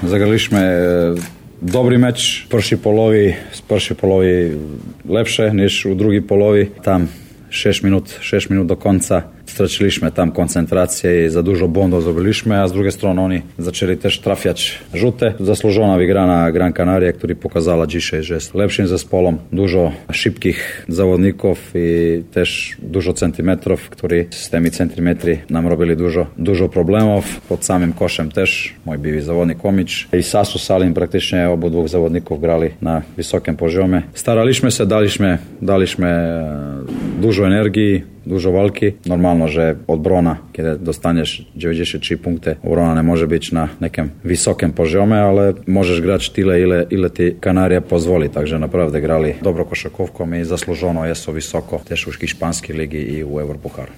zagraliśmy dobry mecz. W pierwszej polowie lepsze niż u drugiej polowie. Tam 6 minut do końca straciliśmy tam koncentrację i za dużo błędów zrobiliśmy, a z drugiej strony oni zaczęli też trafiać rzute. Zasłużona wygrana Gran Canaria, która pokazała dzisiaj, że jest lepszym zespołem. Dużo szybkich zawodników i też dużo centymetrów, którzy z tymi centymetry nam robili dużo problemów. Pod samym koszem też mój były zawodnik Omicz i Sasu Salim, praktycznie obydwu zawodników grali na wysokim poziomie. Staraliśmy się, daliśmy dużo energii, dużo walki. Normalno, że obrona, kiedy dostaniesz 93 punkty, obrona nie może być na nekim wysokim poziomie, ale możesz grać tyle, ile ti Kanaria pozwoli. Także naprawdę grali dobro koszykówką i zasłużono jest wysoko też u hiszpańskiej ligi i u Europucharu.